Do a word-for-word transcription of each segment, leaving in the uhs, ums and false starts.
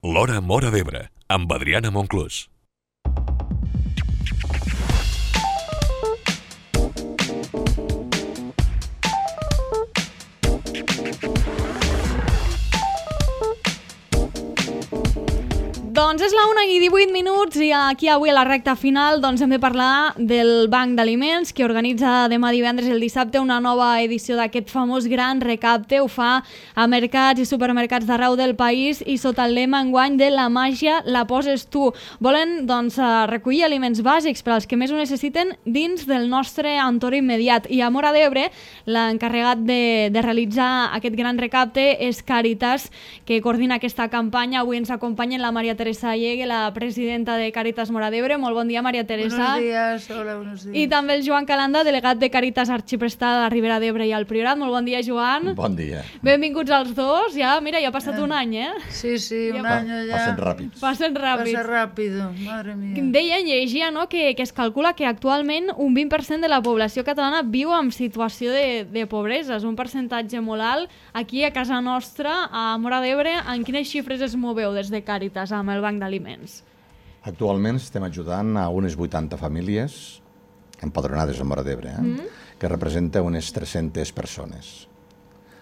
L'Hora Móra d'Ebre, amb Adriana Monclús. Doncs és la una i divuit minuts i aquí avui a la recta final doncs hem de parlar del Banc d'Aliments que organitza demà divendres i el dissabte una nova edició d'aquest famós gran recapte. Ho fa a mercats i supermercats d'arreu del país i sota el lema enguany de la màgia la poses tu. Volen doncs recollir aliments bàsics per als que més ho necessiten dins del nostre entorn immediat. I a Móra d'Ebre l'encarregat de, de realitzar aquest gran recapte és Càritas, que coordina aquesta campanya. Avui ens acompanyen la Maria Teresa Llegue, la presidenta de Càritas Móra d'Ebre. Molt bon dia, Maria Teresa. Buenos días, hola, buenos días. I també el Joan Calanda, delegat de Càritas Arxiprestada a la Ribera d'Ebre i al Priorat. Molt bon dia, Joan. Bon dia. Benvinguts als dos. Ja, mira, ja ha passat un any, eh? Sí, sí, un Ja año ya. Passen ràpids. Passen ràpids. Pasa rápido, madre mía. Deia, llegia, no?, que, que es calcula que actualment un vint per cent de la població catalana viu en situació de, de pobresa. És un percentatge molt alt. Aquí, a casa nostra, a Móra d'Ebre, en quines xifres es moveu des de Càritas amb el Banc d'Aliments? Actualment estem ajudant a unes vuitanta famílies empadronades a Móra d'Ebre, eh? mm. que representa unes tres-centes persones.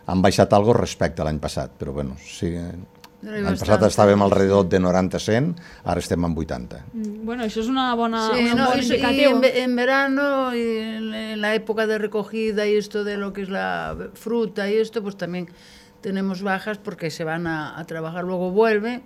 Han baixat algo respecte a l'any passat, però bueno, sí, l'any passat estàvem alrededor de noranta a cent, ara estem en vuitanta. Mm, bueno, això és una bona, Sí, un no, bon y, y indicatiu. en, ve- en verano y en, en la época de recogida y esto de lo que es la fruta y esto, pues también tenemos bajas porque se van a, a trabajar, luego vuelven.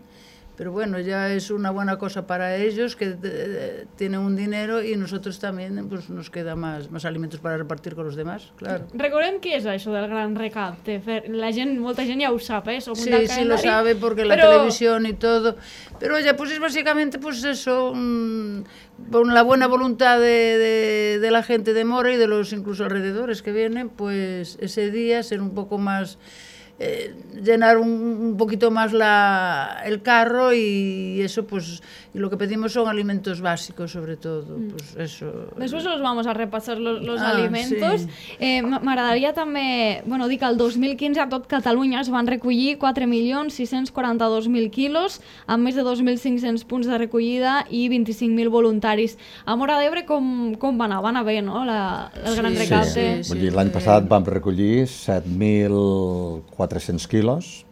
Pero bueno, ya es una buena cosa para ellos que eh, tienen un dinero y nosotros también pues nos queda más, más alimentos para repartir con los demás, claro. Recordem què és això del gran recapte. Fer- La gent, molta gent ja ho sap, eh? Som un Sí, del sí lo calendari, sabe porque la però- televisión y todo. Pero ya pues es básicamente pues eso, mm, con la buena voluntad de, de, de la gente de Móra y de los incluso alrededores que vienen, pues ese día ser un poco más... Eh, llenar un, un poquito más la, el carro y eso pues y lo que pedimos son alimentos básicos sobre todo, mm. pues eso. Después los vamos a repasar los, los Ah, alimentos. sí. Eh, M'agradaria també, bueno, dir que el dos mil quinze a tot Catalunya es van recollir quatre milions sis-cents quaranta-dos mil quilos amb més de dos mil cinc-cents punts de recollida i vint-i-cinc mil voluntaris. A Móra d'Ebre com, com va anar? Va anar bé, no?, la, el Sí, gran sí, recapte. sí, Vull dir, l'any passat vam recollir set mil quatre-cents quilos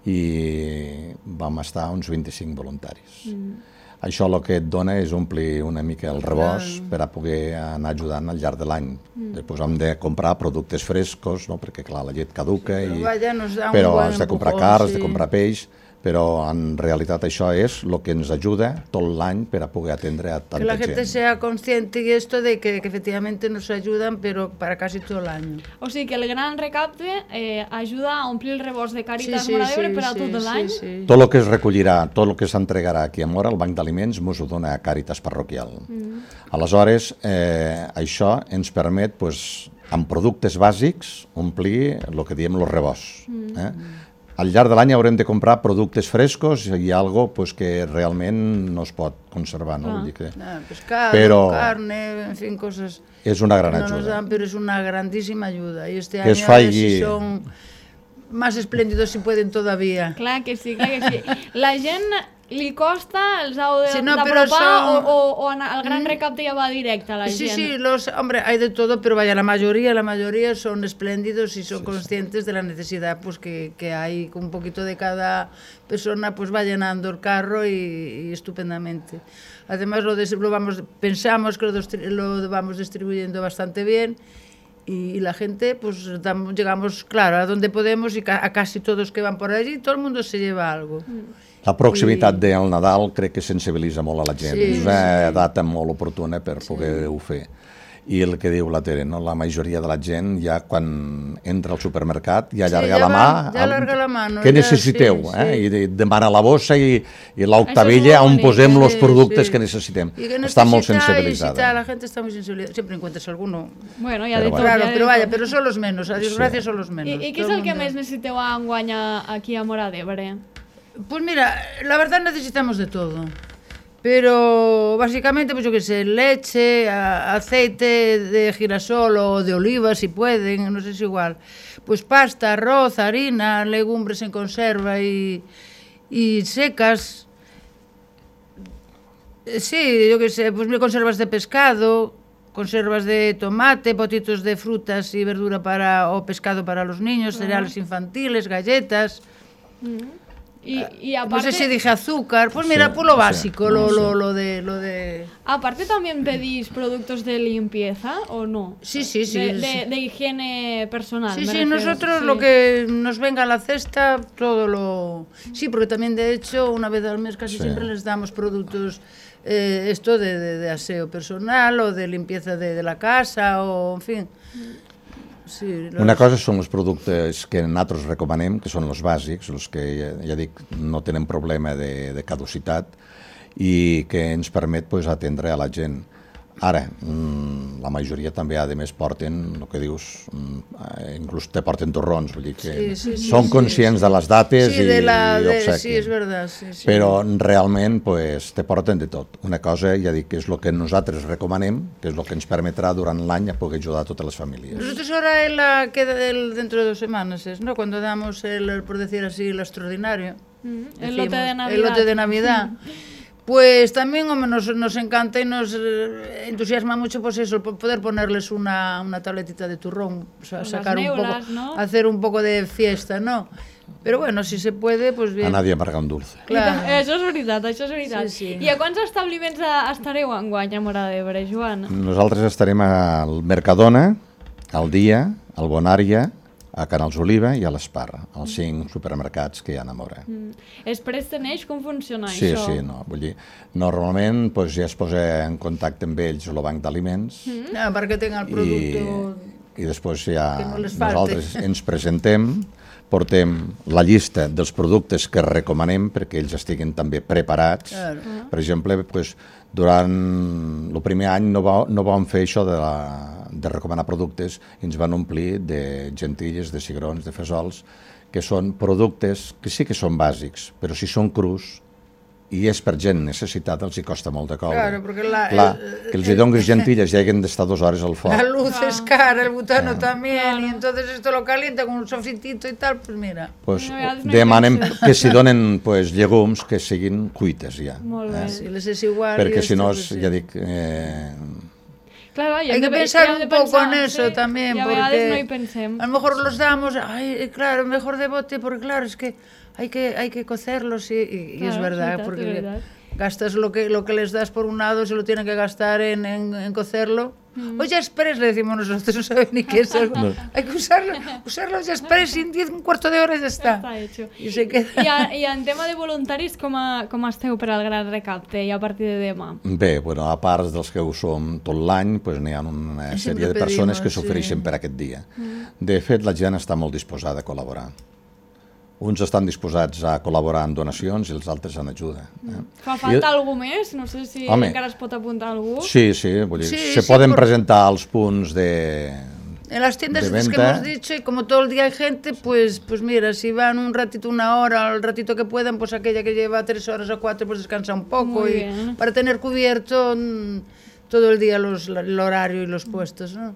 i vam estar uns vint-i-cinc voluntaris. Mm. Això el que et dona és omplir una mica el rebost per a poder anar ajudant al llarg de l'any. Mm. Després hem de comprar productes frescos, no? Perquè clar, la llet caduca, Però i... vaja, nos da un però buen has de comprar empujón, carn, has sí. de comprar peix, però en realitat això és el que ens ajuda tot l'any per a poder atendre a tanta Que la gente gent. sea consciente y esto de que, que efectivamente nos ayudan, pero para casi todo el año. O sigui que el gran recapte eh, ajuda a omplir el rebost de Càritas Sí, sí, Móra d'Ebre sí, per a sí, tot l'any. sí, sí. Tot el que es recollirà, tot el que s'entregarà aquí a Móra, el Banc d'Aliments mos ho dona a Càritas Parroquial. Mm. Aleshores, eh, això ens permet, pues, amb productes bàsics, omplir el que diem els rebosts. Mm. Eh? Al llarg de l'any haurem de comprar productes frescos i algo pues, que realment no es pot conservar. No? Ah. Vull dir que Nada, pescado, Pero- carne, en fin, cosas és una que gran no nos ajuda. dan, pero es una grandísima ayuda. Y este Que año es a ver falle- si son más espléndidos si pueden todavía. Clar que sí, clar que sí. La gent li costa, els heu de- Sí, no, però d'apropar són- o, o, o anar- el gran recapte ja va directe a la Sí, gent? sí, los, hombre, hay de todo, pero vaya, la mayoría, la mayoría son espléndidos y son conscientes de la necesidad pues que, que hay, con un poquito de cada persona, pues va llenando el carro y, y estupendamente. Además, lo, des- lo vamos, pensamos que lo, distri- lo vamos distribuyendo bastante bien y, y la gente, pues damos- llegamos, claro, a donde podemos y ca- a casi todos que van por allí, todo el mundo se lleva algo. La proximitat del Nadal crec que sensibilitza molt a la gent. Sí, és una data molt oportuna per poder-ho fer. I el que diu la Tere, no? La majoria de la gent ja quan entra al supermercat ja Sí, allarga ja la mà. va, ja allarga la mano, Què ja, necessiteu? sí, eh? sí. I de- demana la bossa i, i l'octavilla Això és molt on posem bonic, els sí, productes sí. que necessitem. Y que Està molt necesita, y si sensibilitzada. tal, la gente está muy sensibilizada. Siempre encuentras alguno. Bueno, ja Però de bueno. tot. Claro, ja de pero tot. vaya, pero son los menos, a Dios Sí. gracias son los menos. I, I què és Todo el que mundo- més necessiteu enguany a- aquí a Móra d'Ebre? Pues mira, la verdad necesitamos de todo. Pero básicamente, pues yo qué sé, leche, a- aceite de girasol o de oliva si pueden, no sé si igual. Pues pasta, arroz, harina, legumbres en conserva y, y secas. Sí, yo qué sé, pues conservas de pescado, conservas de tomate, potitos de frutas y verdura para o pescado para los niños, cereales infantiles, galletas. Y, y No aparte, sé si dije azúcar, pues mira, Sí, pues lo sí, básico, no lo, sé. lo, lo de, lo de... aparte también pedís productos de limpieza o no? Sí, sí, sí. De, sí. de- de higiene personal. Sí, me sí, refiero, nosotros sí. lo que nos venga a la cesta, todo lo... Sí, porque también de hecho una vez al mes casi Sí. siempre les damos productos, eh, esto de, de, de aseo personal o de limpieza de, de la casa o, en fin... Sí, los... Una cosa són els productes que nosaltres recomanem, que són els bàsics, els que, ja, ja dic, no tenen problema de, de caducitat i que ens permet pues, atendre a la gent. Ara, mmm, la majoria també, a més, porten, el que dius, mmm, inclús te porten torrons, vull dir que Sí, sí, sí, són sí, conscients sí. de les dates Sí, de la, i, i de, obsequien. sí, és verdad, sí, sí. Però realment pues, te porten de tot. Una cosa, ja dic, que és el que nosaltres recomanem, que és el que ens permetrà durant l'any a poder ajudar a totes les famílies. Nosotros ahora en la, queda el, dentro de dos semanas, es, ¿no? Cuando damos, el, el, por decir así, el extraordinario. Mm, el lote de decimos, Navidad. El lote de Navidad. Pues también hombre, nos, nos encanta y nos eh, entusiasma mucho pues eso, po- poder ponerles una, una tabletita de turrón, o sea, Unas sacar un neulas, poco, ¿no? hacer un poco de fiesta, ¿no? Pero bueno, si se puede, pues A bien. nadie amarga un dulce. Claro. Això és veritat, això és veritat. Sí, sí. I a quants establiments eh, estareu enguany a Móra d'Ebre, Joan? Nosaltres estarem al Mercadona, al Dia, al Bonària, a Canals Oliva i a l'Esparra, els cinc supermercats que hi ha a Móra. Mm. És Presteneix, com funciona Sí, això? sí, no, vull dir, normalment pues, ja es posa en contacte amb ells el banc d'aliments Ah, perquè tenga el i, producte... i després ja Que no les falte. nosaltres ens presentem, portem la llista dels productes que recomanem perquè ells estiguin també preparats. Claro. Per exemple, pues, durant el primer any no, va, no vam fer això de, la, de recomanar productes i ens van omplir de gentilles, de cigrons, de fesols, que són productes que sí que són bàsics, però si són crus i és per gent necessitada, els hi costa molt de coure. Claro, porque la- Clar, el- que els hi donis gentilles i haguen d'estar dues hores al La foc. luz es cara, el butano también, y entonces esto lo calienta con un sofritito y tal, pues mira. Pues, No, ja no hi demanem penses. que si donen pues, llegums que siguin cuites ja. Molt bé. Si les es igual... Perquè y si no, esto, és, pues, ja sí. dic, eh, Claro, i Hay hem que de, pensar i hem de un poco pensar, en eso sí, también, i a porque vegades no hi pensem. a lo mejor los damos, ay, claro, mejor de bote, porque claro, es que hay que, hay que cocerlos y, y- y es Claro, verdad, es verdad, porque es verdad. gastas lo que, lo que les das por un lado, se lo tienen que gastar en, en, en cocerlo. Mm. O ya express, le decimos nosotros, no saben ni qué es eso. Hay que usarlo, usarlo ya express y en diez, un cuarto de hora ya está. Està hecho. Y se queda... I, a, I en tema de voluntaris, com, a, com esteu per al Gran Recapte i a partir de demà? bé, bueno, a part dels que ho som tot l'any, pues, n'hi ha una Sempre sèrie de persones pedimos, que s'ofereixen sí. per aquest dia. De fet, la gent està molt disposada a col·laborar. Uns estan disposats a col·laborar en donacions i els altres en ajuda. Eh? Fa falta algú més? No sé si Home. encara es pot apuntar algú. Sí, sí, vull dir, Sí, se sí, poden por- presentar els punts de... En las tiendas de estas que venta. hemos dicho, y como todo el día hay gente, pues, pues mira, si van un ratito, una hora, el ratito que puedan, pues aquella que lleva tres horas o cuatro, pues descansa un poco. Muy y bien. para tener cubierto mm, todo el día los, el horario y los puestos, ¿no?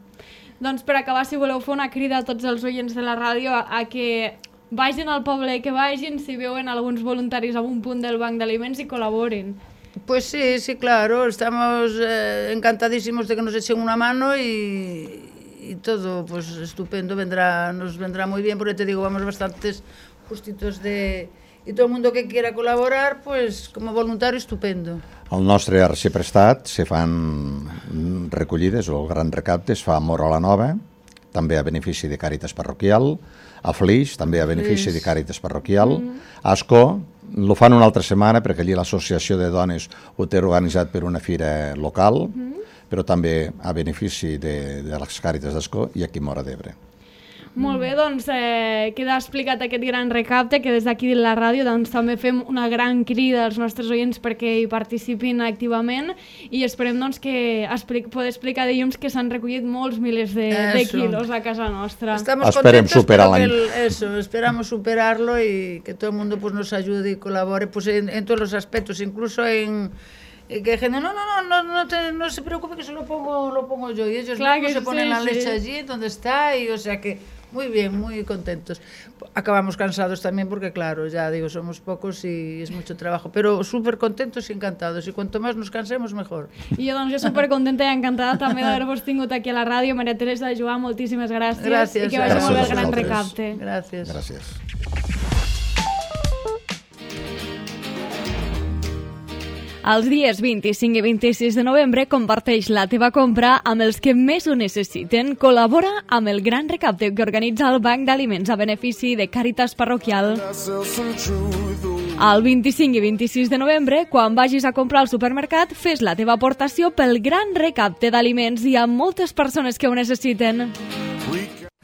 Doncs per acabar, si voleu fer una crida a tots els oients de la ràdio a, a que vagin al poble, que vagin, si veuen alguns voluntaris a un punt del banc d'aliments i col·laborin. Pues sí, sí, claro, estamos eh, encantadísimos de que nos echen una mano y, y todo, pues estupendo, vendrá, nos vendrá muy bien, porque te digo, vamos bastantes justitos de... Y todo el mundo que quiera colaborar, pues como voluntario, estupendo. Al nostre arxiprestat se fan recollides, o el gran recapte es fa a Móra la Nova, també a benefici de Càritas Parroquial, a Flix, també a benefici de Càritas Parroquial, a Ascó, lo fan una altra setmana perquè allí l'associació de dones ho té organitzat per una fira local, però també a benefici de, de les Càritas d'Ascó i aquí a Móra d'Ebre. Molt bé, doncs eh, queda explicat aquest gran recapte que des d'aquí de la ràdio doncs, també fem una gran crida als nostres oients perquè hi participin activament i esperem doncs, que explic, poder explicar dilluns que s'han recollit molts milers de, de Eso. quilos a casa nostra. Estamos Esperem contentos, superar pero que l'any. el- eso, esperamos superarlo y que todo el mundo pues, nos ayude y colabore pues, en, en todos los aspectos, incluso en eh, que gente, no, no, no, no, no, te- no se preocupe que se lo pongo, lo pongo yo. Y ellos Claro mismos que se ponen sí, la sí. leche allí donde está y o sea que Muy bien, muy contentos. Acabamos cansados también porque, claro, ya digo, somos pocos y es mucho trabajo, pero súper contentos y encantados. Y cuanto más nos cansemos, mejor. I jo, doncs, jo supercontenta i encantada també d'haver-vos tingut aquí a la ràdio. Maria Teresa, Joan, moltíssimes gràcies. Gràcies. I que vagi Gràcies molt bé el a gran vosaltres. recapte. Gràcies. Gràcies. Els dies vint-i-cinc i vint-i-sis de novembre comparteix la teva compra amb els que més ho necessiten. Col·labora amb el gran recapte que organitza el Banc d'Aliments a benefici de Càritas Parroquial. El vint-i-cinc i vint-i-sis de novembre, quan vagis a comprar al supermercat, fes la teva aportació pel gran recapte d'aliments. Hi ha moltes persones que ho necessiten.